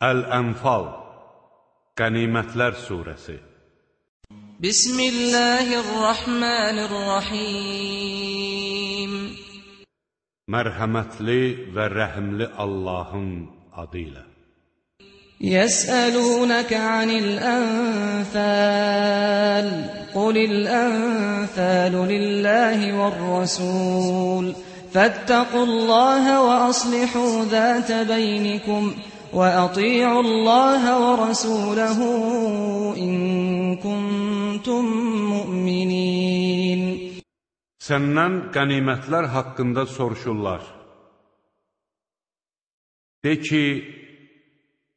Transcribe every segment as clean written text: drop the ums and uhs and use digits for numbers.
Əl-Ənfal, Qənimətlər Suresi. Bismillahirrahmanirrahim. Mərhəmətli və rəhimli Allahın adıyla. Yəsəlunəkə anil ənfəl. Qulil ənfəlu lillahi vər-rəsul. Fəttəqullahə və aslihu zətə beynikum. وَأَطِيعُوا اللَّهَ وَرَسُولَهُ إِن كُنتُم مُّؤْمِنِينَ. Səndən qənimətlər haqqında soruşurlar. De ki,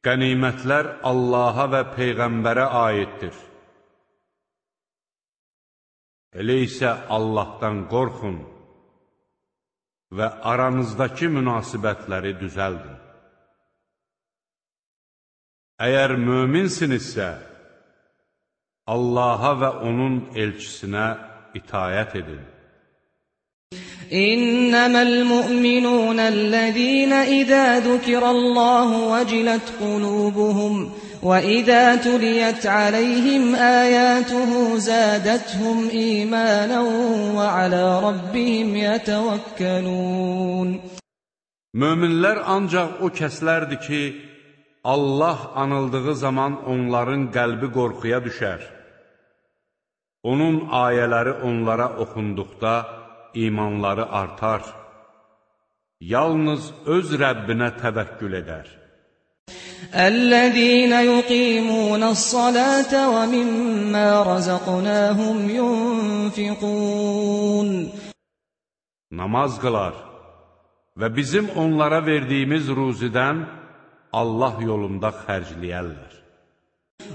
qənimətlər Allaha və Peyğəmbərə aiddir. Elə isə Allahdan qorxun və aranızdakı münasibətləri düzəldin. Əgər möminsinizsə, Allaha və onun elçisinə itayət edin. İnnəməl mu'minunəl-ləzīnə izə zükirəlləhu vəcilet qulubuhum və izə tuliyət aləyhim əyətuhu zədəthum īmənən və alə rabbihim yətəvəkkəlun. Möminlər ancaq o kəslərdir ki, Allah anıldığı zaman onların qəlbi qorxuya düşər. Onun ayələri onlara oxunduqda imanları artar. Yalnız öz Rəbbinə təvəkkül edər. Əl-ləzīnə yuqīmunəs-salətə və mimmə rəzəqnəhum yunfiqun. Namaz qılar və bizim onlara verdiyimiz ruzidən Allah yolunda xərcləyərlər.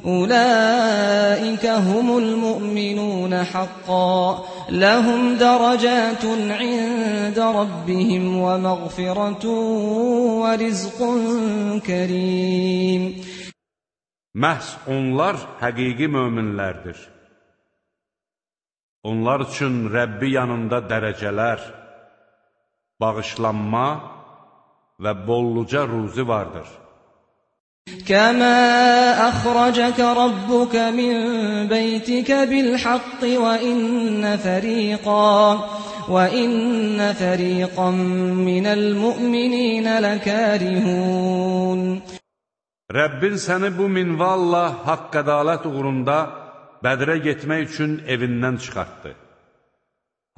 Ulaikə humul mu'minun haqqan, lahum daracatun 'inda rabbihim və məğfiratun və rizqun kərim. Məhz onlar həqiqi möminlərdir. Onlar üçün Rəbbi yanında dərəcələr, bağışlanma və bolluca ruzi vardır. Kəmə əxrəcəkə rabbukə min beytikə bil-haqqi və innə fəriqən minəl-mü'mininə ləkərihun. Rəbbin səni bu minvalla haqq ədalət uğrunda Bədrə getmək üçün evindən çıxartdı.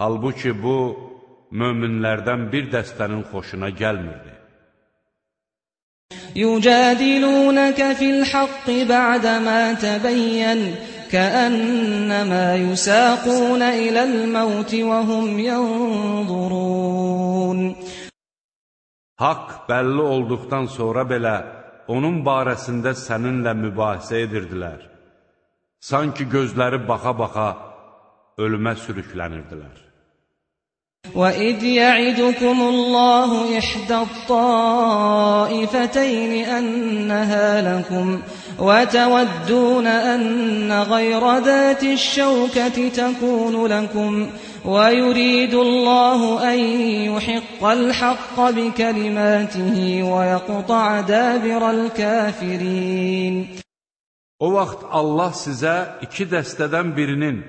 Halbuki bu, möminlərdən bir dəstənin xoşuna gəlmirdi. Yücədilunəkə fil-haqqi bə'dəmə təbəyyən kəənnəmə yusaqunə iləl-məvti və hum yənzurun. Haqq bəlli olduqdan sonra belə onun barəsində səninlə mübahisə edirdilər. Sanki gözləri baxa-baxa ölümə sürüklənirdilər. وَإِذْ يَعِدُكُمُ اللَّهُ إِحْدَى الطَّائِفَتَيْنِ أَنَّهَا لَكُمْ وَتَوَدُّونَ أَنَّ غَيْرَ ذَاتِ الشَّوْكَةِ تَكُونُ لَكُمْ وَيُرِيدُ اللَّهُ أَن يُحِقَّ الْحَقَّ بِكَلِمَاتِهِ وَيَقْطَعَ دَابِرَ الْكَافِرِينَ. O vaxt Allah sizə iki dəstədən birinin,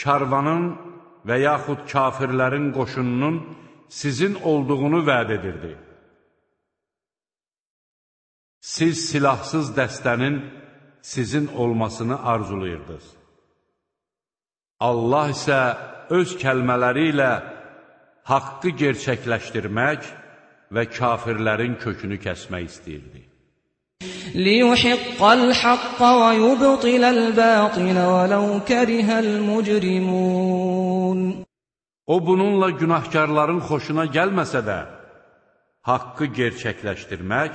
karvanın və yaxud kafirlərin qoşununun sizin olduğunu vəd edirdi. Siz silahsız dəstənin sizin olmasını arzulayırdınız. Allah isə öz kəlmələri ilə haqqı gerçəkləşdirmək və kafirlərin kökünü kəsmək istəyirdi. لِيُحِقَّ الْحَقَّ وَيُبْطِلَ الْبَاطِلَ وَلَوْ كَرِهَ الْمُجْرِمُونَ. O bununla günahkarların xoşuna gəlməsə də, haqqı gerçəkləşdirmək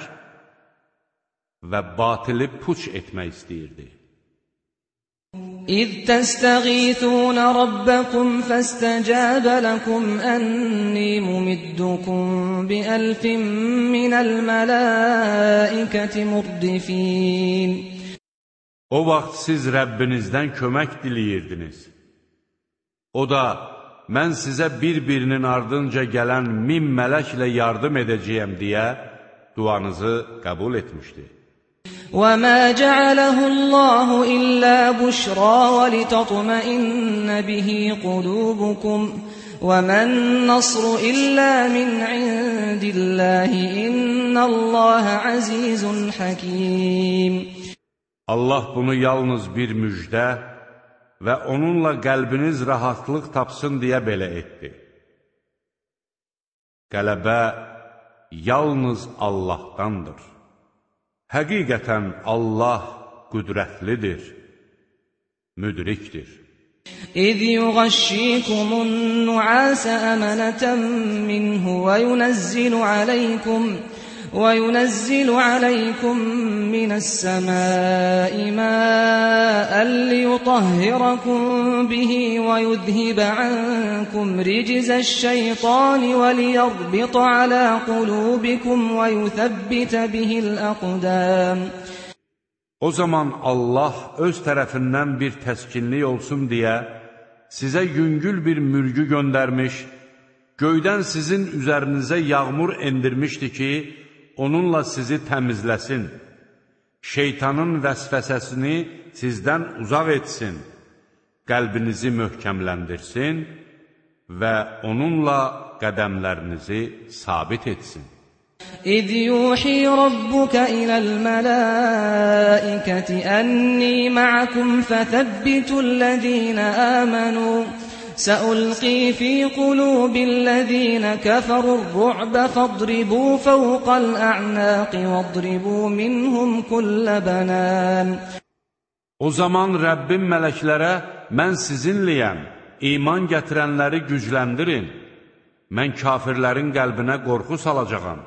və batili puç etmək istəyirdi. إِذْ تَسْتَغِيثُونَ رَبَّكُمْ فَاسْتَجَابَ لَكُمْ أَنِّي مُمِدُّكُمْ بِأَلْفٍ مِّنَ الْمَلَائِكَةِ مُرْدِفِينَ. O vaxt siz Rəbbinizdən kömək diləyirdiniz. O da, mən sizə bir-birinin ardınca gələn 1000 mələklə yardım edəcəyəm deyə duanızı qəbul etmişdi. وَمَا جَعَلَهُ اللَّهُ إِلَّا بُشْرَى وَلِتَطْمَئِنَّ بِهِ قُلُوبُكُمْ وَمَا النَّصْرُ إِلَّا مِنْ عِنْدِ اللَّهِ إِنَّ اللَّهَ عَزِيزٌ حَكِيمٌ. Allah bunu yalnız bir müjdə və onunla qəlbiniz rahatlıq tapsın deyə belə etdi. Qələbə yalnız Allahdandır. Həqiqətən Allah qüdrətlidir, müdrikdir. إِذْ يُغَشِّيكُمُ النُّعَاسَ أَمَنَةً مِّنْهُ وَيُنَزِّلُ عَلَيْكُم مِّنَ السَّمَاءِ مَاءً لِّيُطَهِّرَكُم بِهِ وَيُذْهِبَ عَنكُمْ رِجْزَ الشَّيْطَانِ وَلِيَرْبِطَ عَلَىٰ قُلُوبِكُمْ وَيُثَبِّتَ بِهِ الْأَقْدَامَ. O zaman Allah öz tərəfindən bir təskinlik olsun deyə sizə yüngül bir mürgü göndərmiş, göydən sizin üzərinizə yağmur endirmişdi ki, onunla sizi təmizləsin, şeytanın vəsvəsəsini sizdən uzaq etsin, qəlbinizi möhkəmləndirsin və onunla qədəmlərinizi sabit etsin. إِذْ يُوحِي رَبُّكَ إِلَى الْمَلَائِكَةِ أَنِّي مَعَكُمْ فَثَبِّتُوا الَّذِينَ آمَنُوا سَأُلْقِي فِي قُلُوبِ الَّذِينَ كَفَرُوا الرُّعْبَ فَاضْرِبُوا فَوْقَ الْأَعْنَاقِ وَاضْرِبُوا مِنْهُمْ كُلَّ بَنَانٍ. O zaman Rəbbim mələklərə, mən sizinləyəm, iman gətirənləri gücləndirin, mən kafirlərin qəlbinə qorxu salacağam,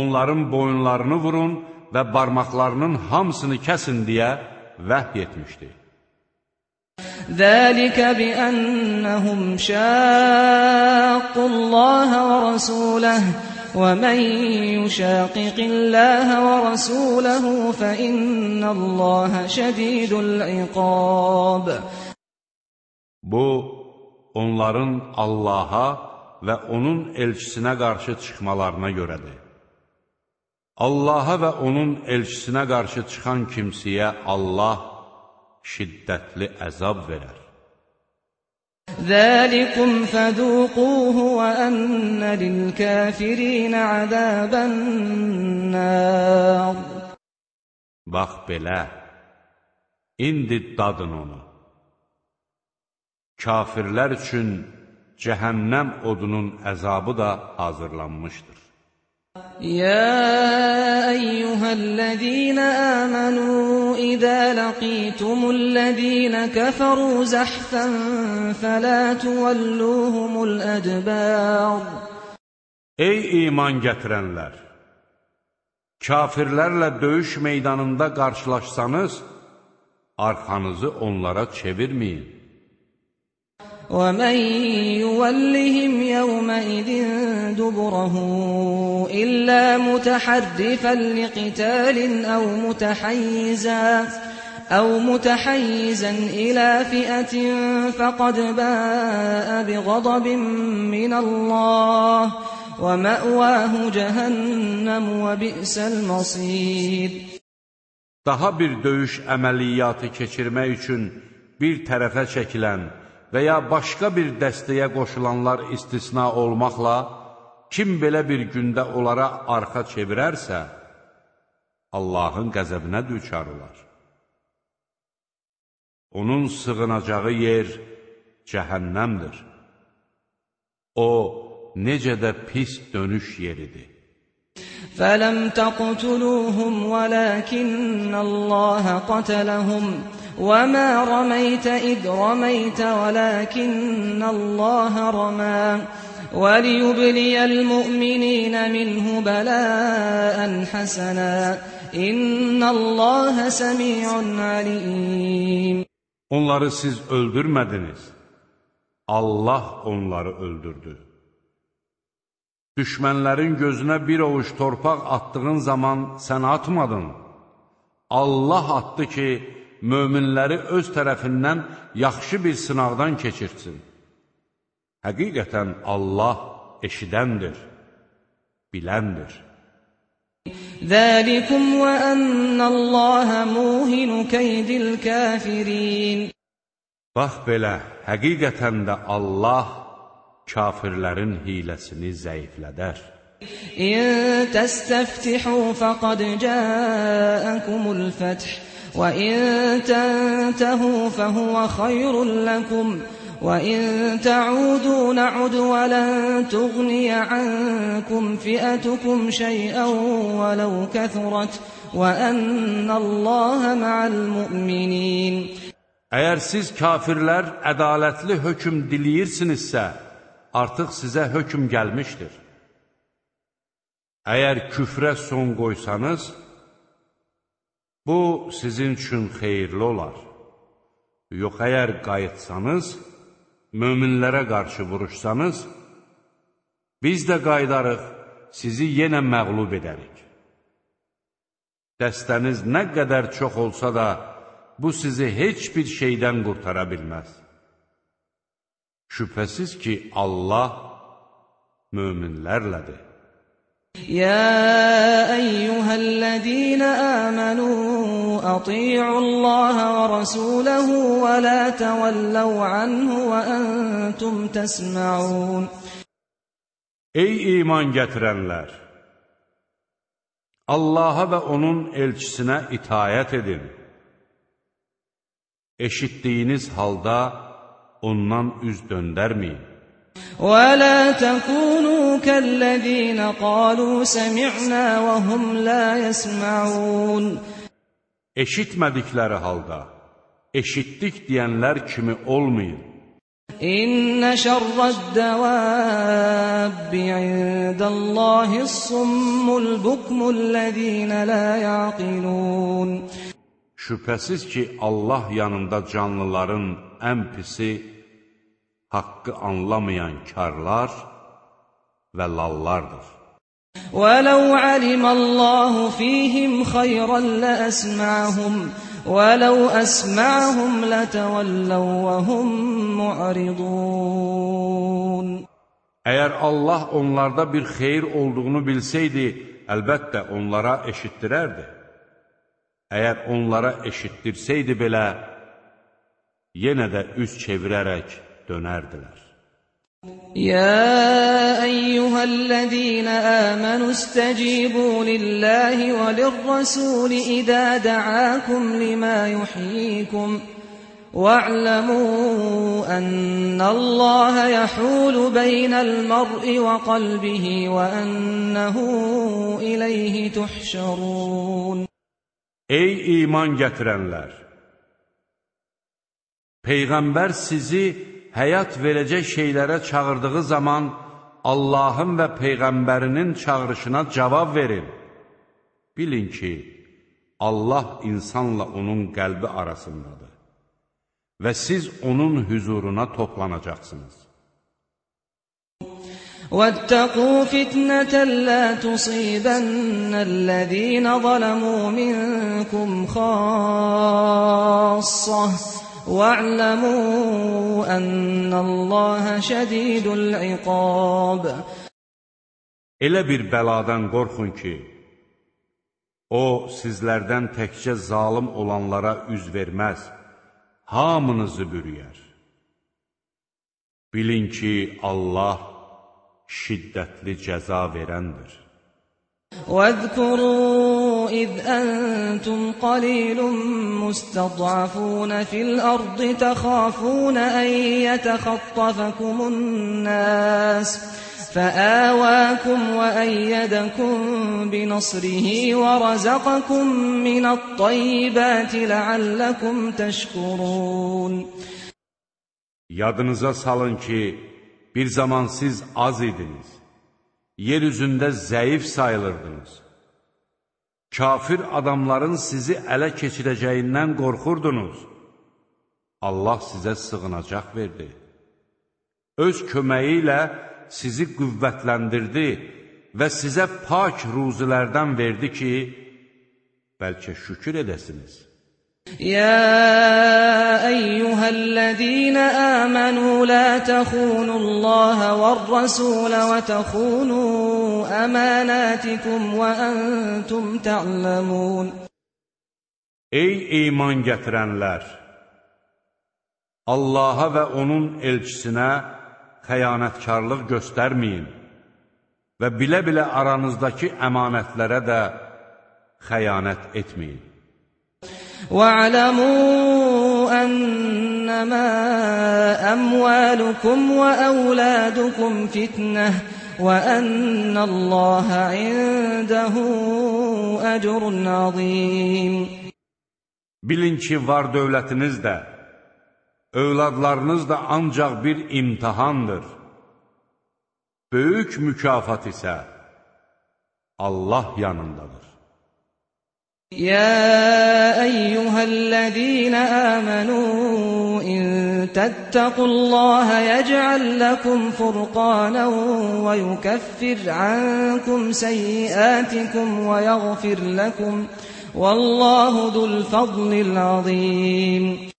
onların boyunlarını vurun və barmaqlarının hamısını kəsin deyə vəhy etmişdi. ذَلِكَ بِأَنَّهُمْ شَاقُّوا اللَّهَ وَرَسُولَهُ وَمَنْ يُشَاقِقِ اللَّهَ وَرَسُولَهُ فَإِنَّ اللَّهَ شَدِيدُ الْعِقَابِ. Bu, onların Allaha və onun elçisinə qarşı çıxmalarına görədir. Allaha və onun elçisinə qarşı çıxan kimsəyə Allah şiddətli əzab verər. ذَلِكُمْ فَذُوقُوهُ وَأَنَّ لِلْكَافِرِينَ عَذَابَ النَّارِ. Bax belə, indi dadın onu. Kafirlər üçün cəhənnəm odunun əzabı da hazırlanmışdır. يَا أَيُّهَا الَّذِينَ آمَنُوا إِذَا لَقِيتُمُ الَّذِينَ كَفَرُوا زَحْفًا فَلَا تُوَلُّوهُمُ الْأَدْبَارَ. Ey iman gətirənlər! Kafirlərlə döyüş meydanında qarşılaşsanız, arxanızı onlara çevirməyin. وَمَنْ يُوَلِّهِمْ يَوْمَئِذٍ دُبُرَهُ إِلَّا مُتَحَرِّفًا لِقِتَالٍ أَوْ مُتَحَيِّزًا إِلَى فِئَةٍ فَقَدْ بَاءَ بِغَضَبٍ مِّنَ اللَّهِ وَمَأْوَاهُ جَهَنَّمُ وَبِئْسَ الْمَصِيرُ. Daha bir döyüş əməliyyatı keçirmək üçün bir tərəfə çəkilən və ya başqa bir dəstəyə qoşulanlar istisna olmaqla, kim belə bir gündə onlara arxa çevirərsə, Allahın qəzəbinə düçar olar. Onun sığınacağı yer cəhənnəmdir. O, necə də pis dönüş yeridir. فَلَمْ تَقْتُلُوهُمْ وَلَكِنَّ اللَّهَ قَتَلَهُمْ وَمَا رَمَيْتَ إِذْ رَمَيْتَ وَلَكِنَّ اللَّهَ رَمَى وَلِيُبْلِيَ الْمُؤْمِنِينَ مِنْهُ بَلَاءً حَسَنًا إِنَّ اللَّهَ سَمِيعٌ عَلِيمٌ. Onları siz öldürmədiniz, Allah onları öldürdü. Düşmənlərin gözünə bir ovuc torpaq attığın zaman sən atmadın. Allah atdı ki, möminləri öz tərəfindən yaxşı bir sınaqdan keçirsin. Həqiqətən Allah eşidəndir, biləndir. ذَٰلِكُمْ وَأَنَّ اللّٰهَ مُوهِنُ كَيْدِ الْكَافِرِينَ Bax belə, həqiqətən də Allah kafirlərin hiləsini zəiflədər. إِن تَسْتَفْتِحُوا فَقَدْ جَاءَكُمُ الْفَتْحُ وَإِن تَنْتَهُوا فَهُوَ خَيْرٌ لَكُمْ وَإِن تَعُودُوا نَعُدْ وَلَن تُغْنِيَ عَنكُمْ فِئَتُكُمْ شَيْئًا وَلَوْ كَثُرَتْ وَأَنَّ اللّٰهَ مَعَ الْمُؤْمِنِينَ Əgər siz kafirlər ədalətli hökm diləyirsinizsə, artıq sizə hökm gəlmişdir. Əgər küfrə son qoysanız, bu sizin üçün xeyirli olar. Yox, əgər qayıtsanız, möminlərə qarşı vuruşsanız, biz də qaydarıq, sizi yenə məğlub edərik. Dəstəniz nə qədər çox olsa da, bu sizi heç bir şeydən qurtara bilməz. Şübhəsiz ki, Allah möminlərlədir. يَا أَيُّهَا الَّذِينَ آمَنُوا أَطِيعُوا اللَّهَ وَرَسُولَهُ وَلَا تَوَلَّوْا عَنْهُ وَأَنْتُمْ تَسْمَعُونَ Ey iman gətirənlər! Allaha və onun elçisinə itayət edin. Eşitdiyiniz halda ondan üz döndərməyin. وَلَا تَكُونُوا كَالَّذِينَ قَالُوا سَمِعْنَا وَهُمْ لَا يَسْمَعُونَ Eşitmədikləri halda, eşitdik deyənlər kimi olmayın. İnne şerre'd-devâbbi indallâhi's-summul bukmullezîne lâ ya'qilûn Şübhəsiz ki, Allah yanında canlıların ən pisi haqqı anlamayan karlar və lallardır. وَلَوْ عَلِمَ اللَّهُ فِيهِمْ خَيْرًا لَأَسْمَعَهُمْ وَلَوْ أَسْمَعَهُمْ لَتَوَلَّوْا وَهُمْ مُعْرِضُونَ Əgər Allah onlarda bir xeyir olduğunu bilsəydi, əlbəttə onlara eşitdirərdi. Əgər onlara eşitdirsəydi belə, yenə də üz çevirərək dönərdilər. يا أيها الذين آمنوا استجيبوا لله وللرسول إذا دعاكم لما يحييكم واعلموا أن الله يحول بين المرء وقلبه وأنه إليه تحشرون Ey iman gətirənlər! Peyğəmbər sizi həyat verəcək şeylərə çağırdığı zaman Allahın və Peyğəmbərinin çağırışına cavab verin. Bilin ki, Allah insanla onun qəlbi arasındadır və siz onun hüzuruna toplanacaqsınız. وَاتَّقُوا فِتْنَةً لَا تُصِيبَنَّ الَّذِينَ ظَلَمُوا مِنكُمْ خَاصَّةً وَاعْلَمُوا أَنَّ اللَّهَ شَدِيدُ الْعِقَابِ Elə bir bəladan qorxun ki, o sizlərdən təkcə zalim olanlara üz verməz, hamınızı bürüyər. Bilin ki, Allah şiddətli cəza verəndir. وَاذْكُرُوا إِذْ أَنْتُمْ قَلِيلٌ مُسْتَضْعَفُونَ فِي الْأَرْضِ تَخَافُونَ أَنْ يَتَخَطَّفَكُمُ النَّاسُ فَآوَاكُمْ وَأَيَّدَكُمْ بِنَصْرِهِ وَرَزَقَكُمْ مِنَ الطَّيِّبَاتِ لَعَلَّكُمْ تَشْكُرُونَ Yadınıza salın ki, bir zaman siz az idiniz, yeryüzündə zəif sayılırdınız. Kafir adamların sizi ələ keçirəcəyindən qorxurdunuz. Allah sizə sığınacaq verdi. Öz köməyi ilə sizi qüvvətləndirdi və sizə pak ruzilərdən verdi ki, bəlkə şükür edəsiniz. يا أيها الذين آمنوا لا تخونوا الله والرسول وتخونوا أماناتكم وأنتم تعلمون. Ey iman gətirənlər! Allaha və onun elçisinə xəyanətkarlıq göstərməyin və bilə-bilə aranızdakı əmanətlərə də xəyanət etməyin. وَاعْلَمُوا أَنَّمَا أَمْوَالُكُمْ وَأَوْلَادُكُمْ فِتْنَةٌ وَأَنَّ اللَّهَ عِندَهُ أَجْرٌ عَظِيمٌ. Bilin ki, var dövlətiniz də, övladlarınız da ancaq bir imtihandır. Böyük mükafat isə Allah yanındadır. يا أيها الذين آمنوا إن تتقوا الله يجعل لكم فرقانا ويكفر عنكم سيئاتكم ويغفر لكم والله ذو الفضل العظيم.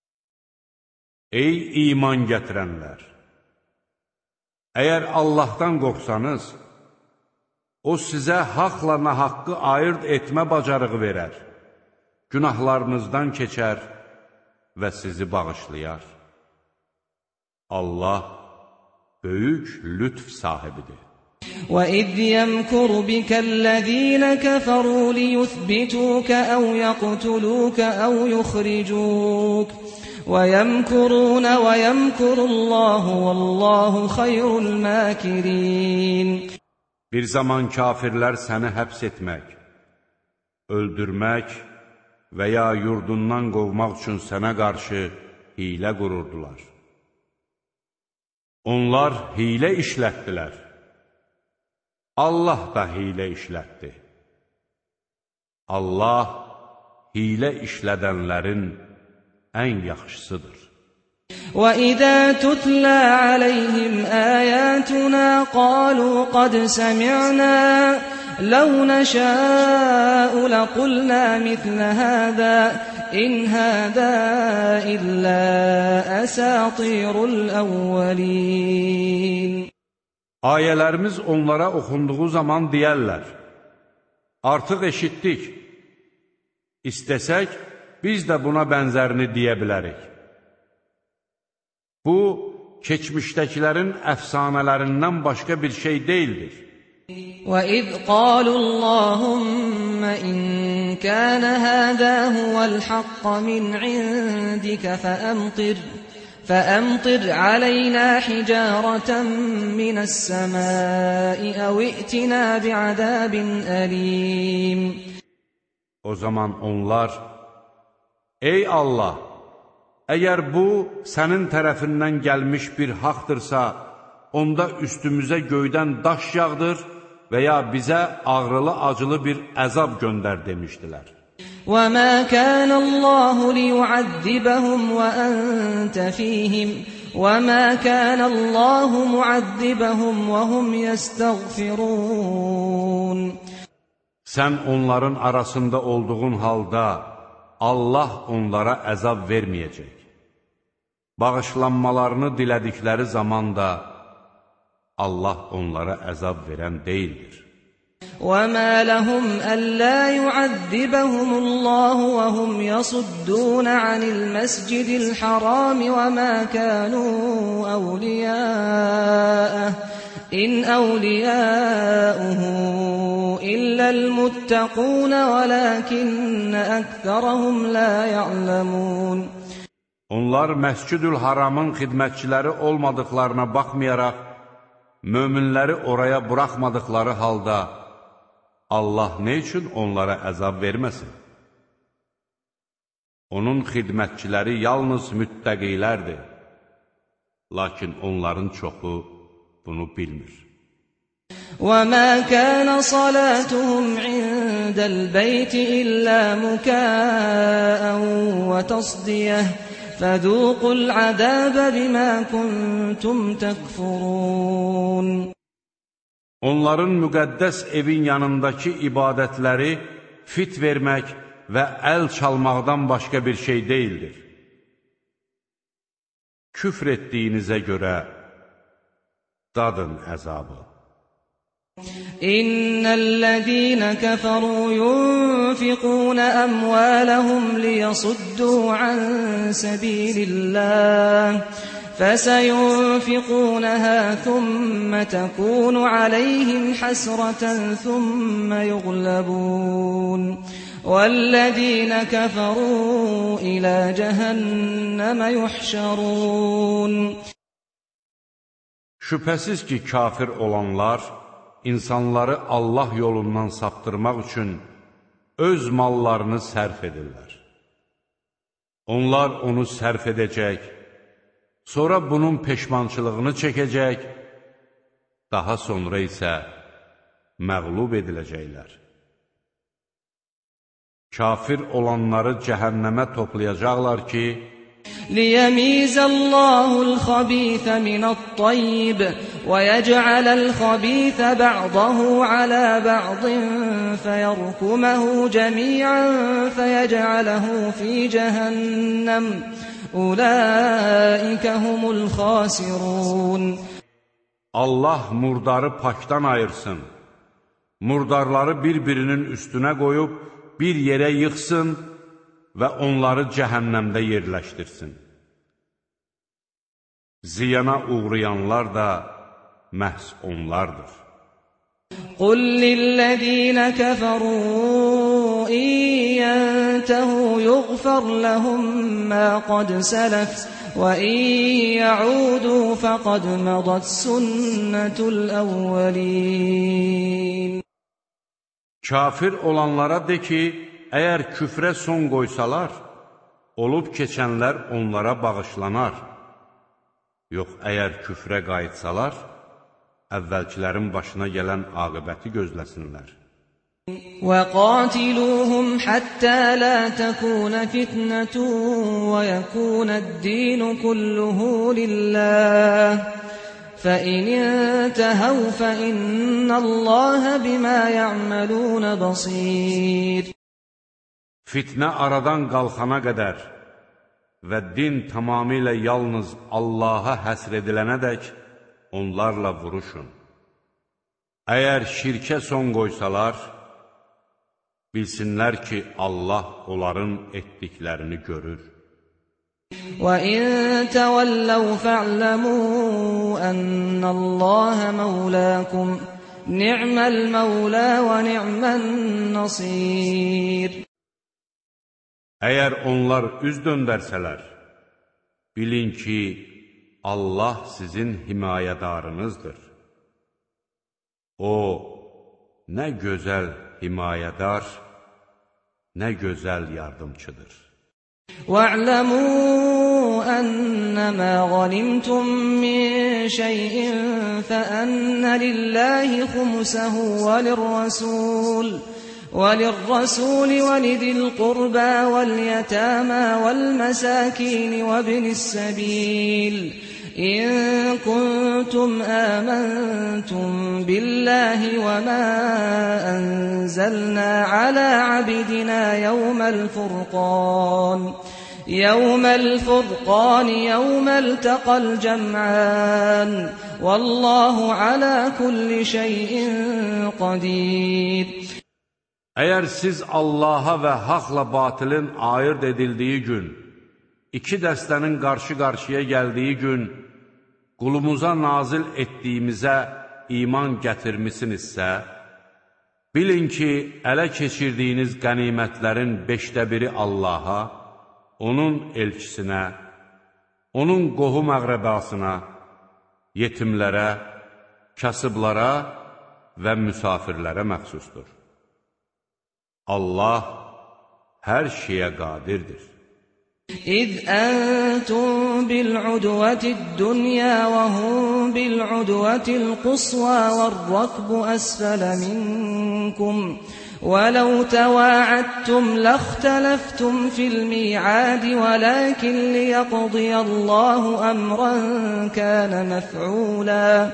Ey iman gətirənlər! Əgər Allahdan qorxsanız, O sizə haqla nahaqqı ayırt etmə bacarığı verər, günahlarınızdan keçər və sizi bağışlayar. Allah böyük lütf sahibidir. وَإِذْ يَمْكُرُ بِكَ الَّذِينَ كَفَرُوا لِيُثْبِتُوكَ أَوْ يَقْتُلُوكَ أَوْ يُخْرِجُوكَ وَيَمْكُرُونَ وَيَمْكُرُ اللَّهُ وَاللَّهُ خَيْرُ الْمَاكِرِينَ. Bir zaman kafirlər səni həbs etmək, öldürmək və ya yurdundan qovmaq üçün sənə qarşı hilə qururdular. Onlar hilə işlətdilər. Allah da hilə işlətdi. Allah hilə işlədənlərin ən yaxşısıdır. وَإِذَا تُتْلَى عَلَيْهِمْ آيَاتُنَا قَالُوا قَدْ سَمِعْنَا لَوْ نَشَاءُ لَقُلْنَا مِثْلَ هَذَا إِنْ هَذَا إِلَّا أَسَاطِيرُ الْأَوَّلِينَ. Ayələrimiz onlara oxunduğu zaman deyərlər, artıq eşitdik, istəsək biz də buna bənzərini deyə bilərik. Bu, keçmişdəkilərin əfsanələrindən başqa bir şey deyildir. وَإِذْ قَالُوا اللَّهُمَّ إِنْ كَانَ هَذَا هُوَ الْحَقَّ مِنْ عِنْدِكَ فَأَمْطِرْ عَلَيْنَا حِجَارَةً مِنَ السَّمَاءِ أَوْ ائْتِنَا بِعَذَابٍ أَلِيمٍ. O zaman onlar, ey Allah! Əgər bu, sənin tərəfindən gəlmiş bir haqdırsa, onda üstümüzə göydən daş yağdır və ya bizə ağrılı-acılı bir əzab göndər demişdilər. وَمَا كَانَ اللَّهُ لِيُعَذِّبَهُمْ وَأَنْتَ فِيهِمْ وَمَا كَانَ اللَّهُ مُعَذِّبَهُمْ وَهُمْ يَسْتَغْفِرُونَ. Sən onların arasında olduğun halda Allah onlara əzab verməyəcək. Bağışlanmalarını dilədikləri zaman da Allah onlara əzab verən deyildir. وَمَا لَهُمْ أَلَّا يُعَذِّبَهُمُ اللَّهُ وَهُمْ يَصُدُّونَ عَنِ الْمَسْجِدِ الْحَرَامِ وَمَا كَانُوا أَوْلِيَاءَهُ إِنْ أَوْلِيَاؤُهُ إِلَّا الْمُتَّقُونَ وَلَكِنَّ أَكْثَرَهُمْ لَا يَعْلَمُونَ. Onlar Məscid-ül Haramın xidmətçiləri olmadıqlarına baxmayaraq, möminləri oraya buraxmadıqları halda, Allah nə üçün onlara əzab verməsin? Onun xidmətçiləri yalnız müttəqilərdir. Lakin onların çoxu bunu bilmir. وَمَا كَانَ صَلَاتُهُمْ عِندَ الْبَيْتِ إِلَّا مُكَاءً وَتَصْدِيَةً فَذُوقُوا الْعَذَابَ بِمَا كُنْتُمْ تَكْفُرُونَ. Onların müqəddəs evin yanındakı ibadətləri fit vermək və əl çalmaqdan başqa bir şey deyildir. Küfr etdiyinizə görə dadın əzabı. İnnellezîne keferû yunfiqûne emvâlehum liyasuddû an sebîlillâh فسينفقونها ثم تكون عليهم حسرة ثم يغلبون والذين كفروا إلى جهنم يحشرون. Şübhəsiz ki, kafir olanlar insanları Allah yolundan saptırmaq üçün öz mallarını sərf edirlər. Onlar onu sərf edəcək, sonra bunun peşmançılığını çəkəcək, daha sonra isə məğlub ediləcəklər. Kafir olanları cəhənnəmə toplayacaqlar ki, لِيَمِيزَ اللَّهُ الْخَبِيثَ مِنَ الطَّيِّبِ وَيَجْعَلَ الْخَبِيثَ بَعْضَهُ عَلَى بَعْضٍ فَيَرْكُمَهُ جَمِيعًا فَيَجْعَلَهُ فِي جَهَنَّمَ أُولَٰئِكَ هُمُ الْخَاسِرُونَ. Allah murdarı pakdan ayırsın, murdarları bir-birinin üstünə qoyub bir yerə yıxsın və onları cəhənnəmdə yerləşdirsin. Ziyana uğrayanlar da məhz onlardır. قُلْ لِلَّذِينَ كَفَرُوا إِن يَنْتَهُوا يُغْفَرْ لَهُم مَّا قَدْ سَلَفَ وَإِن يَعُودُوا فَقَدْ مَضَتْ سُنَّةُ الْأَوَّلِينَ. Kafir olanlara de ki, əgər küfrə son qoysalar, olub keçənlər onlara bağışlanar. Yox, əgər küfrə qayıtsalar, əvvəlkilərin başına gələn aqibəti gözləsinlər. وَقَاتِلُوهُمْ حَتَّى لَا تَكُونَ فِتْنَةٌ وَيَكُونَ الدِّينُ كُلُّهُ لِلَّهِ فَإِنِ انتَهَوْا فَإِنَّ اللَّهَ بِمَا يَعْمَلُونَ بَصِيرٌ. Fitnə aradan qalxana qədər və din tamamilə yalnız Allaha həsr edilənədək onlarla vuruşun. Əgər şirkə son qoysalar, bilsinlər ki, Allah onların etdiklərini görür. وَإِن تَوَلَّوْا فَاعْلَمُوا أَنَّ اللَّهَ مَوْلَاكُمْ نِعْمَ الْمَوْلَى وَنِعْمَ النَّصِيرُ. Əgər onlar üz döndərsələr, bilin ki, Allah sizin himayədarınızdır. O, nə gözəl himayədar, nə gözəl yardımçıdır. وَاعْلَمُوا أَنَّمَا غَنِمْتُم مِّن شَيْءٍ فَأَنَّ لِلَّهِ خُمُسَهُ وَلِلرَّسُولِ وَلِذِي الْقُرْبَى وَالْيَتَامَى وَالْمَسَاكِينِ وَابْنِ السَّبِيلِ إِن كُنتُمْ آمَنتُم بِاللَّهِ وَمَا أَنزَلْنَا عَلَىٰ عَبْدِنَا يَوْمَ الْفُرْقَانِ يَوْمَ الْتَقَى الْجَمْعَانِ وَاللَّهُ عَلَىٰ كُلِّ شَيْءٍ قَدِيرٌ. Əgər siz Allaha və haqla batilin ayırt edildiyi gün, iki dəstənin qarşı-qarşıya gəldiyi gün, qulumuza nazil etdiyimizə iman gətirmisinizsə, bilin ki, ələ keçirdiyiniz qənimətlərin 5/1 Allaha, onun elçisinə, onun qohum-əqrəbasına, yetimlərə, kasıblara və müsafirlərə məxsusdur. Allah hər şeyə qadirdir. إِذْ أَنْتُمْ بِالْعُدْوَةِ الدُّنْيَا وَهُمْ بِالْعُدْوَةِ الْقُصْوَى وَالرَّكْبُ أَسْفَلَ مِنْكُمْ ولو تواعدتم لاختلفتم في الميعاد ولكن ليقضي الله أمرا كان مفعولا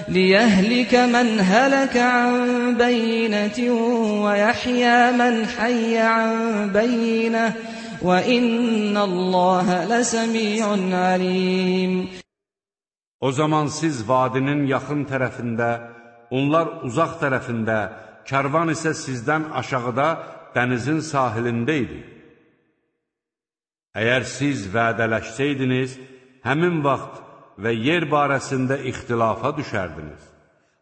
ليهلك من هلك عن بينة ويحيى من حي عن بينة وإن الله لسميع عليم. O zaman siz vadinin yaxın tərəfində, onlar uzaq tərəfində, kərvan isə sizdən aşağıda dənizin sahilində idi. Əgər siz vədələşsəydiniz, həmin vaxt və yer barəsində ixtilafa düşərdiniz.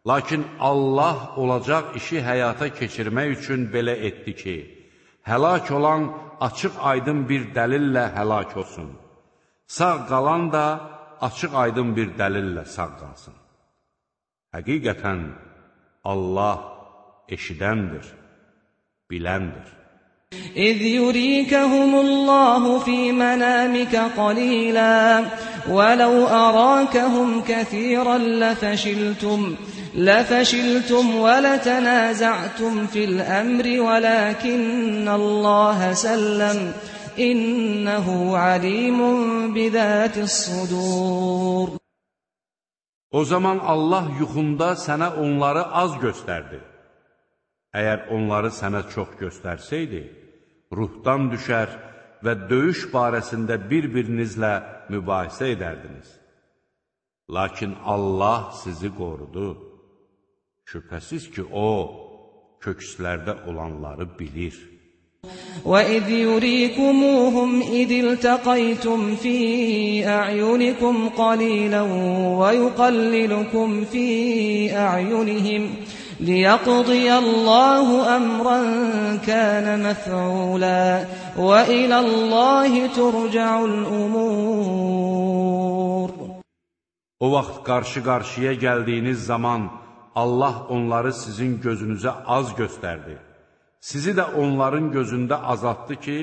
Lakin Allah olacaq işi həyata keçirmək üçün belə etdi ki, həlak olan açıq-aydın bir dəlillə həlak olsun. Sağ qalan da açıq-aydın bir dəlillə sağ qalsın. Həqiqətən Allah eşidəndir, biləndir. إذ يريكهم الله في منامك قليلا ولو أراكهم كثيرا لفشلتم ولتنازعتم في الأمر ولكن الله سلم إنه عليم بذات الصدور. O zaman Allah yuxunda sənə onları az göstərdi. Əgər onları sənə çox göstərsəydi, ruhdan düşər və döyüş barəsində bir-birinizlə mübahisə edərdiniz. Lakin Allah sizi qorudu. Şübhəsiz ki, O, kökslərdə olanları bilir. وَإِذْ يُرِيكُمُوهُمْ إِذِ الْتَقَيْتُمْ فِي أَعْيُنِكُمْ قَلِيلًا وَيُقَلِّلُكُمْ فِي أَعْيُنِهِمْ لِيَقْضِيَ اللَّهُ أَمْرًا كَانَ مَفْعُولًا وَإِلَى اللَّهِ تُرْجَعُ الْأُمُورُ. O vaxt qarşı-qarşıya gəldiyiniz zaman Allah onları sizin gözünüzə az göstərdi. Sizi də onların gözündə azaltdı ki,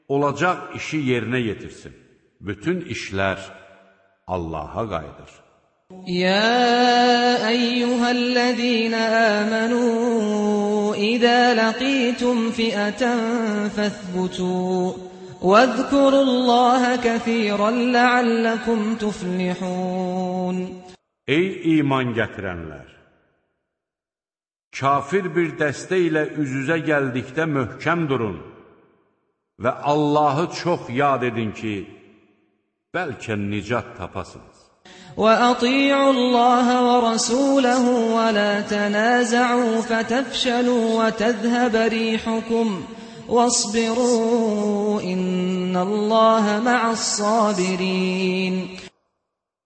olacaq işi yerinə yetirsin. Bütün işlər Allaha qayıdır. يا أيها الذين آمنوا إذا لقيتم فئة فاثبتوا واذكروا الله كثيرا لعلكم تفلحون. Ey iman gətirənlər! Kafir bir dəstə ilə üz-üzə gəldikdə möhkəm durun və Allahı çox yad edin ki, bəlkə nicat tapasınız. وَأَطِيعُوا اللَّهَ وَرَسُولَهُ وَلَا تَنَازَعُوا فَتَفْشَلُوا وَتَذْهَبَ رِيحُكُمْ وَاصْبِرُوا إِنَّ اللَّهَ مَعَ الصَّابِرِينَ.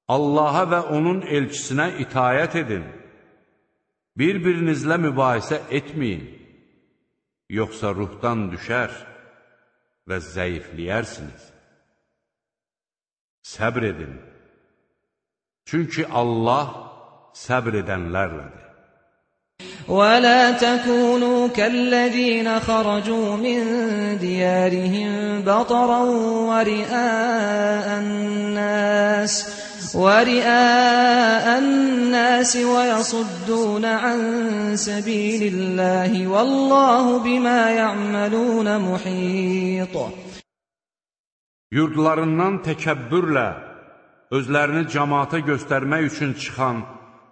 Allaha və onun elçisinə itayət edin. Bir-birinizlə mübahisə etməyin, yoxsa ruhdan düşər və zəifləyərsiniz. Səbr edin, çünki Allah səbr edənlərlədir. وَلَا تَكُونُوا كَالَّذِينَ خَرَجُوا مِنْ دِيَارِهِمْ بَطَرًا وَرِئَاءَ النَّاسِ وَيَصُدُّونَ عَنْ سَبِيلِ اللَّهِ وَاللَّهُ بِمَا يَعْمَلُونَ مُحِيطٌ. Yurdlarından təkəbbürlə özlərini cəmaata göstərmək üçün çıxan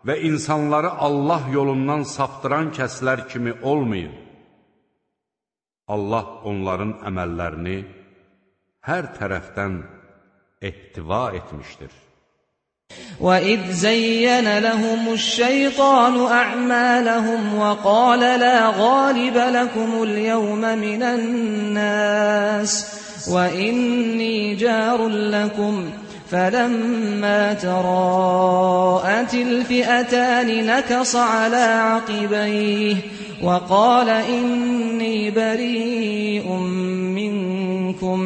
və insanları Allah yolundan saptıran kəslər kimi olmayın. Allah onların əməllərini hər tərəfdən ehtiva etmişdir. وَإِذْ زَيَّنَ لَهُمُ الشَّيْطَانُ أَعْمَالَهُمْ وَقَالَ لَا غَالِبَ لَكُمُ الْيَوْمَ مِنَ النَّاسِ وَإِنِّي جَارٌ لَكُمْ فَلَمَّا تَرَاءَتِ الْفِئَتَانِ نَكَصَ عَلَى عَقِبَيْهِ وَقَالَ إِنِّي بَرِيءٌ مِّنكُمْ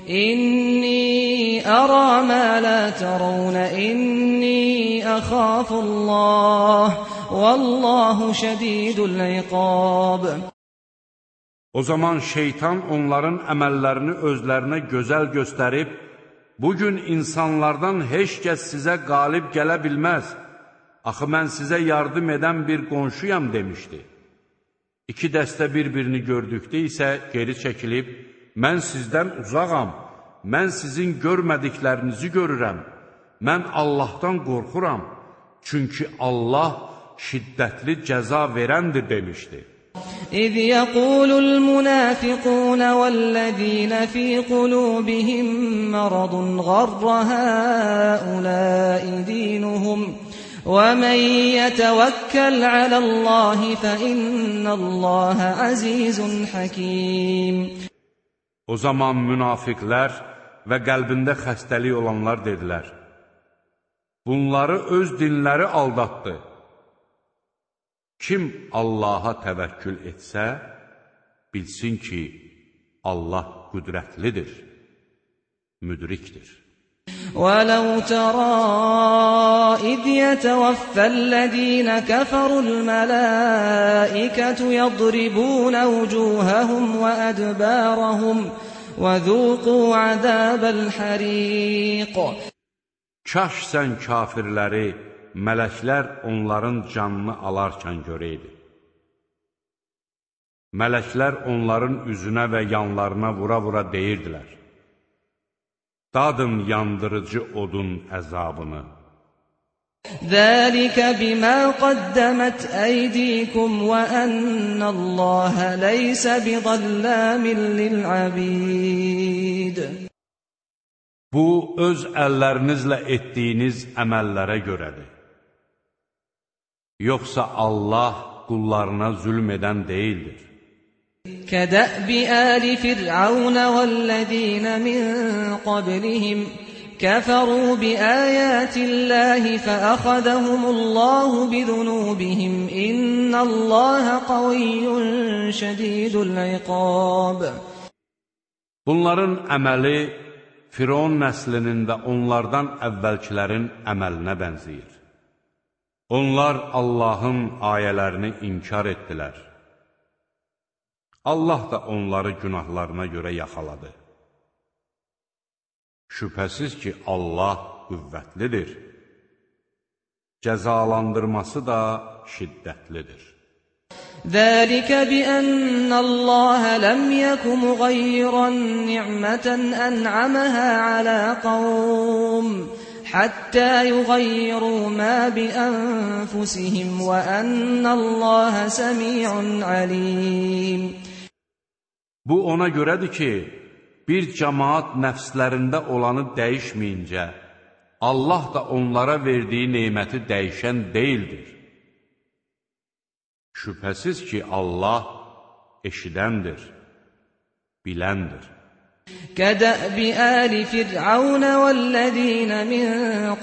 إِنِّي أَرَى مَا لَا تَرَوْنَ إِنِّي أَخَافُ اللَّهَ وَاللَّهُ شَدِيدُ الْعِقَابِ. O zaman şeytan onların əməllərini özlərinə gözəl göstərib, bugün insanlardan heç kəs sizə qalib gələ bilməz, axı mən sizə yardım edən bir qonşuyam demişdi. İki dəstə bir-birini gördükdə isə geri çəkilib, mən sizdən uzağam, mən sizin görmədiklərinizi görürəm, mən Allahdan qorxuram, çünki Allah şiddətli cəza verəndir demişdi. إذ يقول المنافقون والذين في قلوبهم مرض غر هؤلاء دينهم ومن يتوكل على الله فإن الله عزيز حكيم. O zaman münafiqlər və qəlbində xəstəlik olanlar dedilər, bunları öz dinləri aldatdı. Kim Allaha təvəkkül etsə, bilsin ki, Allah qüdrətlidir, müdrikdir. وَلَوْ تَرَى إِذْ يَتَوَفَّى الَّذِينَ كَفَرُوا الْمَلَائِكَةُ يَضْرِبُونَ وُجُوهَهُمْ وَأَدْبَارَهُمْ وَذُوقُوا عَذَابَ الْحَرِيقِ. Kaş sən kafirləri, mələklər onların canını alarkən görəydi. Mələklər onların üzünə və yanlarına vura-vura deyirdilər, dadın yandırıcı odun əzabını. ذَلِكَ بِمَا قَدَّمَتْ أَيْدِيكُمْ وَأَنَّ اللَّهَ لَيْسَ بِظَلَّامٍ لِلْعَبِيدِ. Bu, öz əllərinizlə etdiyiniz əməllərə görədir. Yoxsa Allah qullarına zülm edən deyildir. كَدَأْبِ آلِ فِرْعَوْنَ وَالَّذِينَ مِنْ قَبْلِهِمْ كَفَرُوا بِآيَاتِ اللَّهِ فَأَخَذَهُمُ اللَّهُ بِذُنُوبِهِمْ إِنَّ اللَّهَ قَوِيٌّ شَدِيدُ الْعِقَابِ. Bunların əməli Firon nəslinin və onlardan əvvəlkilərin əməlinə bənzəyir. Onlar Allahın ayələrini inkar etdilər. Allah da onları günahlarına görə yaxaladı. Şübhəsiz ki, Allah qüvvətlidir. Cəzalandırması da şiddətlidir. ذَلِكَ بِأَنَّ اللَّهَ لَمْ يَكُ مُغَيِّرًا نِعْمَةً أَنْعَمَهَا عَلَى قَوْمٍ حَتَّى يُغَيِّرُوا مَا بِأَنفُسِهِمْ وَأَنَّ اللَّهَ سَمِيعٌ عَلِيمٌ. Bu ona görədir ki, bir cəmaat nəfslərində olanı dəyişməyincə, Allah da onlara verdiyi neməti dəyişən deyildir. Şübhəsiz ki, Allah eşidəndir, biləndir. كَدَأْبِ آلِ فِرْعَوْنَ وَالَّذِينَ مِنْ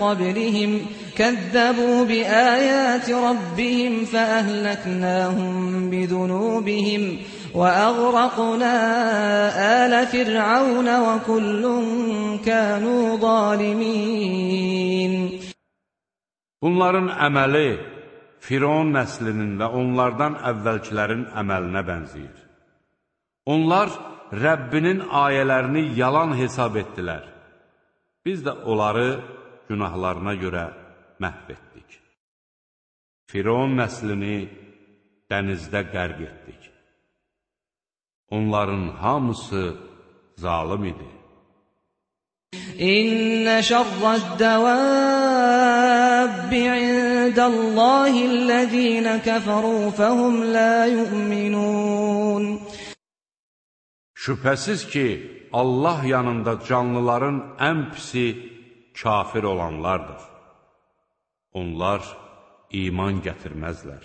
قَبْلِهِمْ كَذَّبُوا بِآيَاتِ رَبِّهِمْ فَأَهْلَكْنَاهُمْ بِذُنُوبِهِمْ وَأَغْرَقْنَا آلَ فِرْعَوْنَ وَكُلٌّ كَانُوا ظَالِمِينَ. Bunların əməli Firon nəslinin və onlardan əvvəlkilərin əməlinə bənzəyir. Onlar Rəbbinin ayələrini yalan hesab etdilər. Biz də onları günahlarına görə məhv etdik. Firon nəslini dənizdə qərq etdik. Onların hamısı zalım idi. İnne şerre'd-devâbbi indallâhillezîne keferû fehum lâ yu'minûn. Şübhəsiz ki, Allah yanında canlıların ən pisi kafir olanlardır. Onlar iman gətirməzlər.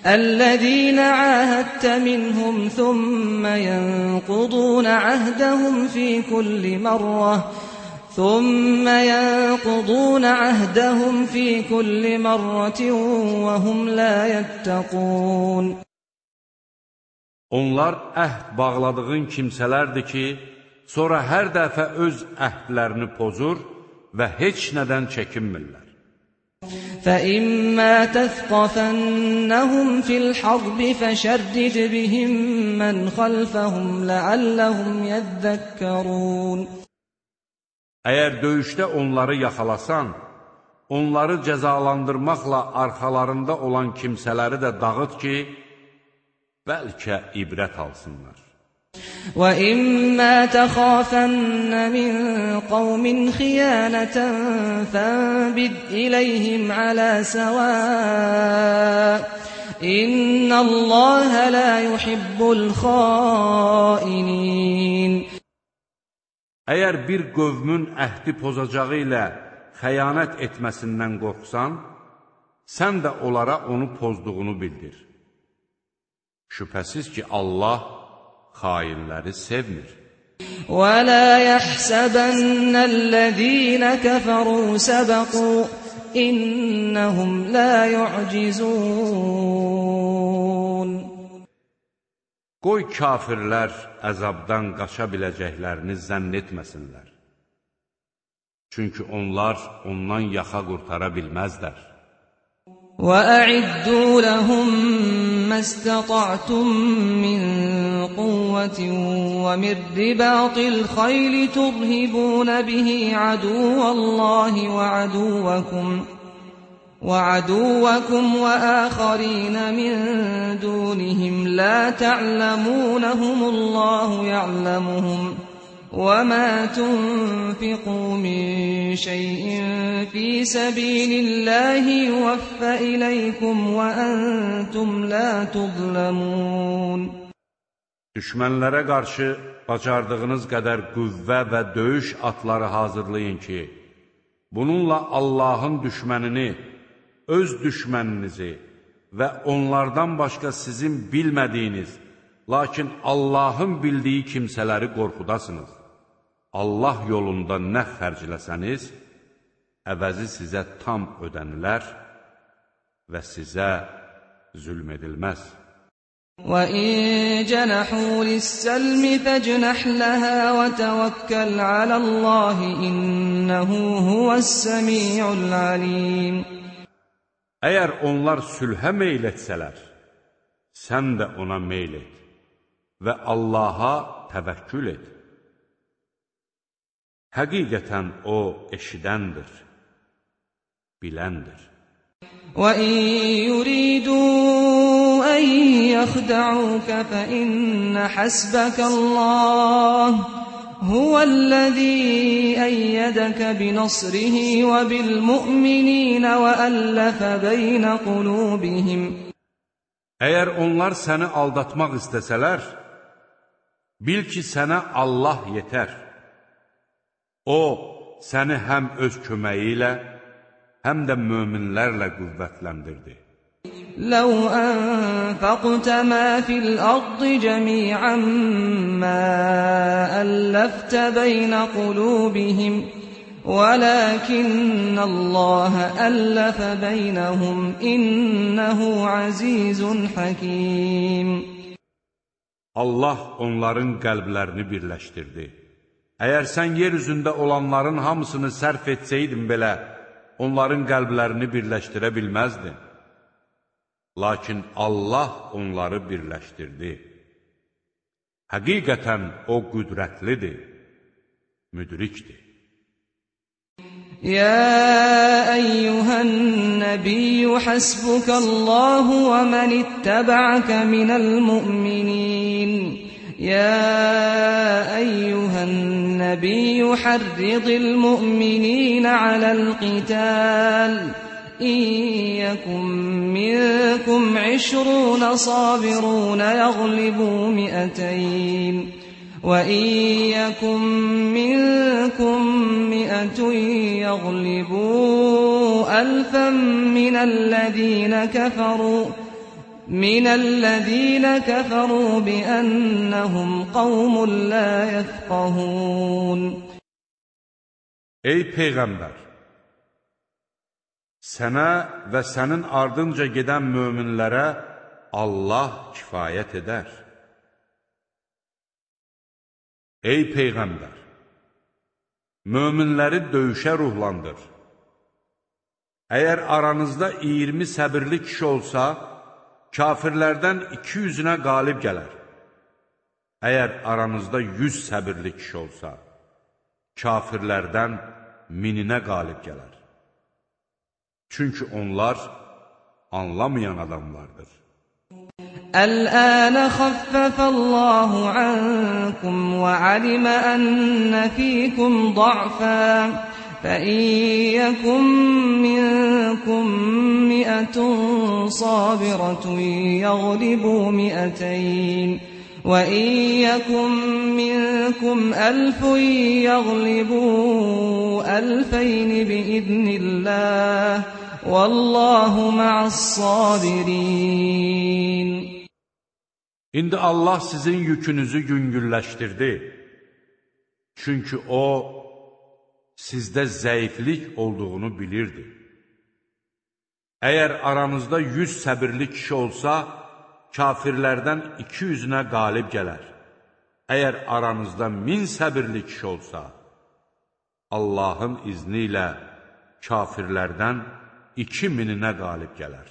الذين عاهدت منهم ثم ينقضون عهدهم في كل مرة وهم لا يتقون. Onlar əhd bağladığın kimsələrdir ki, sonra hər dəfə öz əhdlərini pozur və heç nədən çəkinmirlər. فَإِمَّا تَثْقَفَنَّهُمْ فِي الْحَرْبِ فَشَرِّدْ بِهِمْ مَنْ خَلْفَهُمْ لَعَلَّهُمْ يَذَّكَّرُونَ. Əgər döyüşdə onları yaxalasan, onları cəzalandırmaqla arxalarında olan kimsələri də dağıt ki, bəlkə ibrət alsınlar. وَإِمَّا تَخَافَنَّ مِنْ قَوْمٍ خِيَانَةً فَانبِذْ إِلَيْهِمْ عَلَى سَوَاءٍ إِنَّ اللَّهَ لَا يُحِبُّ الْخَائِنِينَ Əgər bir qövmün əhdi pozacağı ilə xəyanət etməsindən qorxsan, sən də onlara onu pozduğunu bildir. Şübhəsiz ki, Allah xainləri sevmir. وَلَا يَحْسَبَنَّ الَّذِينَ كَفَرُوا سَبَقُوا إِنَّهُمْ لَا يُعْجِزُونَ Qoy kafirlər əzabdan qaça biləcəklərini zənn etməsinlər. Çünki onlar ondan yaxa qurtara bilməzlər. وَأَعِدُّوا لَهُم مَّا اسْتَطَعْتُم مِّن قُوَّةٍ وَمِن رِّبَاطِ الْخَيْلِ تُرْهِبُونَ بِهِ عَدُوَّ اللَّهِ وَعَدُوَّكُمْ وَآخَرِينَ مِن دُونِهِمْ لَا تَعْلَمُونَهُمُ اللَّهُ يَعْلَمُهُمْ وَمَا تُنفِقُوا مِن شَيْءٍ فِي سَبِيلِ اللَّهِ يُوَفَّ إِلَيْكُمْ وَأَنْتُمْ لَا تُظْلَمُونَ Düşmənlərə qarşı bacardığınız qədər qüvvə və döyüş atları hazırlayın ki, bununla Allahın düşmənini, öz düşməninizi və onlardan başqa sizin bilmədiyiniz, lakin Allahın bildiyi kimsələri qorxudasınız. Allah yolunda nə xərcləsəniz, əvəzi sizə tam ödənilər və sizə zülm edilməz. وَإِن جَنَحُوا لِلسَّلْمِ فَاجْنَحْ لَهَا وَتَوَكَّلْ عَلَى اللَّهِ إِنَّهُ هُوَ السَّمِيعُ الْعَلِيمُ Əgər onlar sülhə meyl etsələr, sən də ona meyl et və Allaha təvəkkül et. Həqiqətən O eşidəndir, biləndir. وَإِن يُرِيدُوا أَن يَخْدَعُوكَ فَإِنَّ حَسْبَكَ اللَّهُ هُوَ الَّذِي أَيَّدَكَ بِنَصْرِهِ وَبِالْمُؤْمِنِينَ وَأَلَّفَ بَيْنَ قُلُوبِهِمْ Əgər onlar səni aldatmaq istəsələr, bil ki, sənə Allah yetər. O, səni həm öz köməyi ilə, həm də möminlərlə qüvvətləndirdi. لَوْ أَنفَقْتَ مَا فِي الْأَرْضِ جَمِيعًا مَّا أَلَّفْتَ بَيْنَ قُلُوبِهِمْ وَلَكِنَّ اللَّهَ أَلَّفَ بَيْنَهُمْ إِنَّهُ عَزِيزٌ حَكِيمٌ Allah onların qəlblərini birləşdirdi. Əgər sən yer üzündə olanların hamısını sərf etsəydin belə, onların qəlblərini birləşdirə bilməzdin. Lakin Allah onları birləşdirdi. Həqiqətən O qüdrətlidir, müdrikdir. يا أيها النبي حسبك الله ومن اتبعك من المؤمنين يا أيها النبي حرض المؤمنين على القتال إن يكن منكم 20 صابرون يغلبوا 200 وَإِن يَكُن مِّنكُم 100 يَغْلِبُوا 1000 مِّنَ الَّذِينَ كَفَرُوا بِأَنَّهُمْ قَوْمٌ لَّا يَفْقَهُونَ Ey Peyğəmbər! Sənə və sənin ardınca gedən möminlərə Allah kifayət edər. Ey Peyğəmbər! Möminləri döyüşə ruhlandır. Əgər aranızda 20 səbirli kişi olsa, kafirlərdən 200-ünə qalib gələr. Əgər aranızda 100 səbirli kişi olsa, kafirlərdən 1000-inə qalib gələr. Çünki onlar anlamayan adamlardır. الآن خفف الله عنكم وعلم أن فيكم ضعفا فإن يكن منكم 100 صابرة يغلبوا 200 وإن يكن منكم 1000 يغلبوا 2000 بإذن الله والله مع الصابرين. İndi Allah sizin yükünüzü yüngülləşdirdi. Çünki O, sizdə zəiflik olduğunu bilirdi. Əgər aranızda 100 səbirli kişi olsa, kafirlərdən 200-ünə qalib gələr. Əgər aranızda 1000 səbirli kişi olsa, Allahın izni ilə kafirlərdən 2000-inə qalib gələr.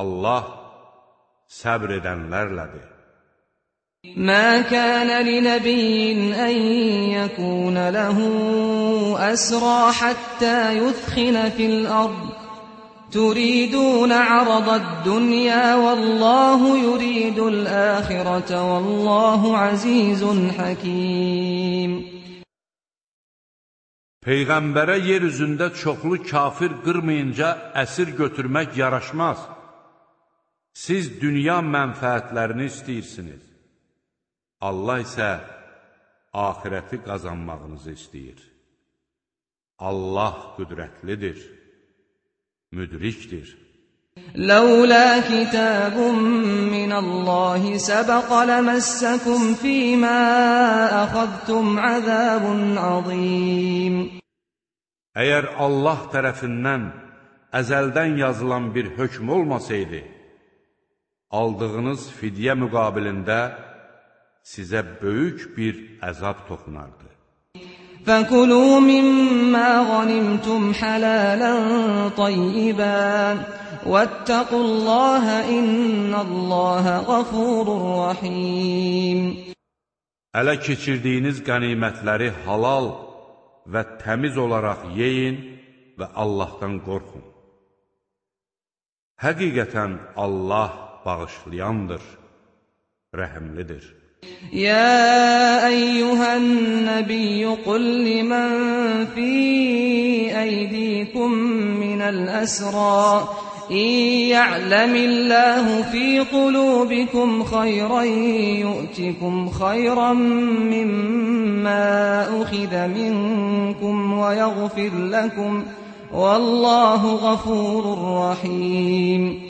Allah səbr edənlərlədir. ما كان لنبي أن يكون له أسرى حتى يثخن في الأرض تريدون عرض الدنيا والله يريد الآخرة والله عزيز حكيم. Peyğəmbərə yer üzündə çoxlu kafir qırmayınca əsir götürmək yaraşmaz. Siz dünya mənfəətlərini istəyirsiniz. Allah isə axirəti qazanmağınızı istəyir. Allah qüdrətlidir, müdrikdir. لولا كتاب من الله سبق لمسكم فيما أخذتم عذاب عظيم. Əgər Allah tərəfindən əzəldən yazılan bir hökm olmasaydı, aldığınız fidyə müqabilində sizə böyük bir əzab toxunardı. فَكُلُوا مِمَّا غَنِمْتُمْ حَلَالًا طَيِّبًا وَاتَّقُوا اللَّهَ إِنَّ اللَّهَ غَفُورٌ رَحِيمٌ. Ələ keçirdiyiniz qənimətləri halal və təmiz olaraq yeyin və Allahdan qorxun. Həqiqətən Allah bağışlayandır, rəhimlidir. يا أيها النبي قل لمن في أيديكم من الأسرى إن يعلم الله في قلوبكم خيرا يؤتكم خيرا مما أخذ منكم ويغفر لكم والله غفور رحيم.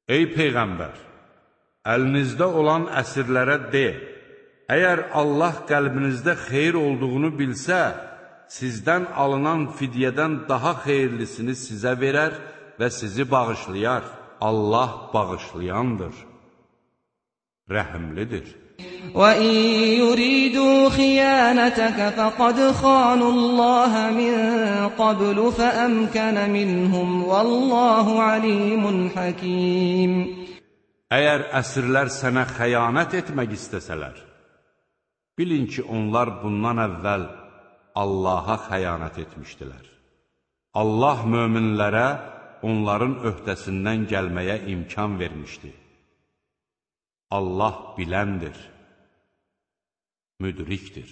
Ey Peyğəmbər! Əlinizdə olan əsirlərə de, əgər Allah qəlbinizdə xeyir olduğunu bilsə, sizdən alınan fidyədən daha xeyirlisini sizə verər və sizi bağışlayar. Allah bağışlayandır, rəhimlidir. وَإِن يُرِيدُوا خِيَانَتَكَ فَقَدْ خَانُوا اللَّهَ مِن قَبْلُ فَأَمْكَنَ مِنْهُمْ وَاللَّهُ عَلِيمٌ حَكِيمٌ. Əgər əsirlər sənə xəyanət etmək istəsələr, bilin ki, onlar bundan əvvəl Allaha xəyanət etmişdilər. Allah möminlərə onların öhdəsindən gəlməyə imkan vermişdi. Allah biləndir, müdrikdir.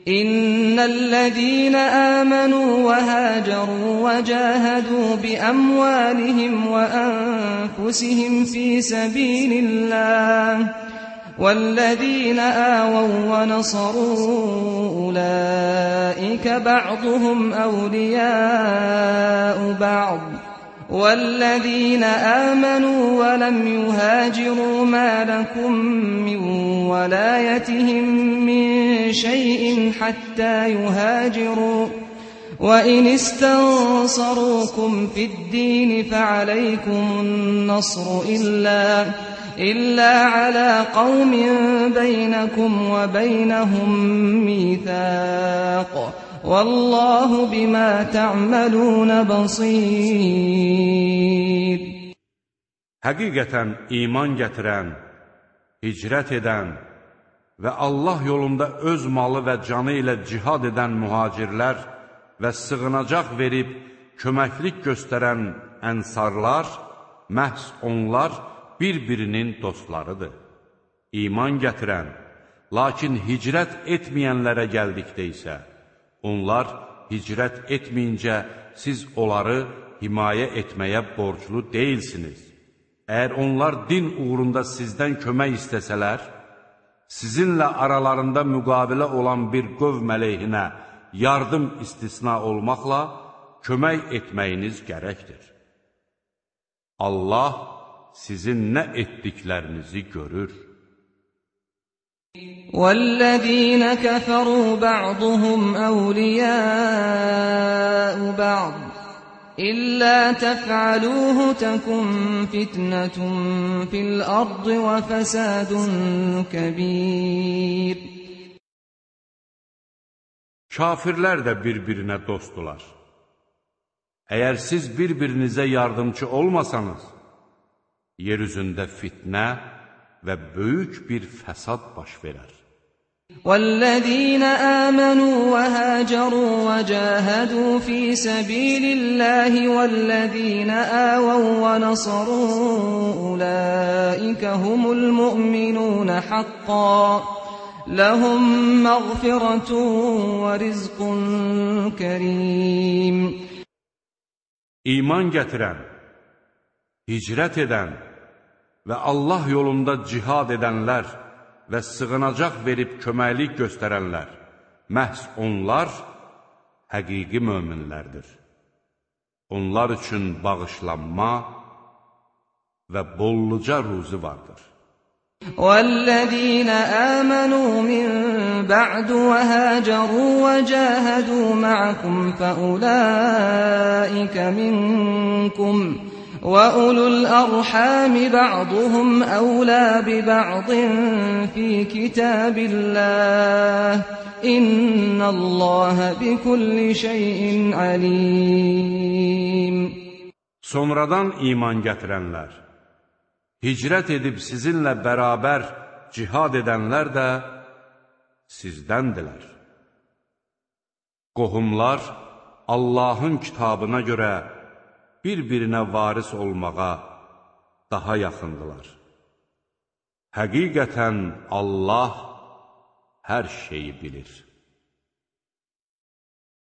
إن الذين آمنوا وهاجروا وجاهدوا بأموالهم وأنفسهم في سبيل الله والذين آووا ونصروا أولئك بعضهم أولياء بعض والذين آمنوا ولم يهاجروا ما لكم من ولايتهم من شيء حتى يهاجروا وإن استنصروكم في الدين فعليكم النصر إلا على قوم بينكم وبينهم ميثاق والله بما تعملون بصير. Həqiqətən iman gətirən, hicrət edən və Allah yolunda öz malı və canı ilə cihad edən mühacirlər və sığınacaq verib köməklik göstərən ənsarlar məhz onlar bir-birinin dostlarıdır. İman gətirən, lakin hicrət etməyənlərə gəldikdə isə, onlar hicrət etməyincə siz onları himayə etməyə borclu deyilsiniz. Əgər onlar din uğrunda sizdən kömək istəsələr, sizinlə aralarında müqabilə olan bir qövm əleyhinə yardım istisna olmaqla kömək etməyiniz gərəkdir. Allah sizin nə etdiklərinizi görür. وَالَّذِينَ كَفَرُوا بَعْضُهُمْ أَوْلِيَاءُ بَعْضٍ إِلَّا تَفْعَلُوهُ تَكُنْ فِتْنَةٌ فِي الْأَرْضِ وَفَسَادٌ كَبِيرٌ. Kafirlər də bir-birinə dostdular. Əgər siz bir-birinizə yardımcı olmasanız, yer üzündə fitnə və böyük bir fəsad baş verər. وَالَّذِينَ آمَنُوا وَهَاجَرُوا وَجَاهَدُوا فِي سَبِيلِ اللَّهِ وَالَّذِينَ آوَوا وَّنَصَرُوا أُولَئِكَ هُمُ الْمُؤْمِنُونَ حَقًّا لَهُمْ مَغْفِرَةٌ وَرِزْقٌ كَرِيمٌ. İman gətirən, hicrət edən və Allah yolunda cihad edənlər və sığınacaq verib köməklik göstərənlər, məhz onlar həqiqi möminlərdir. Onlar üçün bağışlanma və bolluca ruzi vardır. وَالَّذِينَ آمَنُوا مِن بَعْدُ وَهَاجَرُوا وَجَاهَدُوا مَعَكُمْ فَأُولَئِكَ مِنكُمْ وَأُولُو الْأَرْحَامِ بَعْضُهُمْ أَوْلَى بِبَعْضٍ فِي كِتَابِ اللَّهِ إِنَّ اللَّهَ بِكُلِّ شَيْءٍ عَلِيمٌ. Sonradan iman gətirənlər, hicrət edib sizinlə bərabər cihad edənlər də sizdəndirlər. Qohumlar Allahın kitabına görə bir-birinə varis olmağa daha yaxındılar. Həqiqətən Allah hər şeyi bilir.